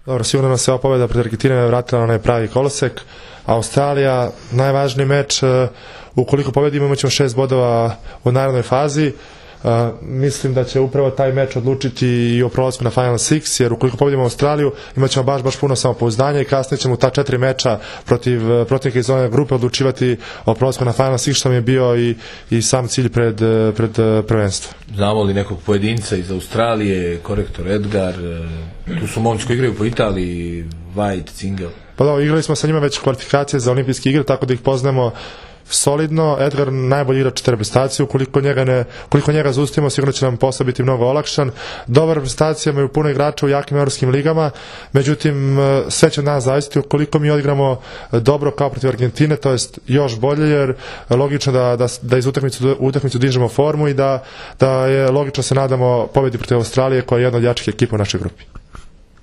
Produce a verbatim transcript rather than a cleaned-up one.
Dobro, sigurno nas se ova pobjeda pred Argentine vratila na onaj pravi kolosek. Australija, najvažniji meč, ukoliko pobjedimo imat ćemo šest bodova u narednoj fazi. Uh, mislim da će upravo taj meč odlučiti i o prolasku na Final Six, jer ukoliko pobjedimo Australiju imat ćemo baš, baš puno samopouzdanja i kasnije ćemo ta četiri meča protiv protivnika iz one grupe odlučivati o prolasku na Final Six, što mi je bio i, i sam cilj pred, pred prvenstvo. Znamo li nekog pojedinca iz Australije, korektor Edgar, tu su momci koji igraju po Italiji, White, Cingel? Pa da, igrali smo sa njima već kvalifikacije za olimpijske igre, tako da ih poznajemo solidno. Edgar najbolji igrač reprezentacije, ukoliko njega ne, ukoliko njega zaustavimo, sigurno će nam posao biti mnogo olakšan. Dobra reprezentacija, imaju puno igrača u jakim evropskim ligama, međutim sve će od nas zavisiti ukoliko mi odigramo dobro kao protiv Argentine, to jest još bolje, jer logično da, da, da iz utakmicu, utakmicu dižemo formu i da, da je logično se nadamo pobjedi protiv Australije koja je jedna od jačih ekipa u našoj grupi.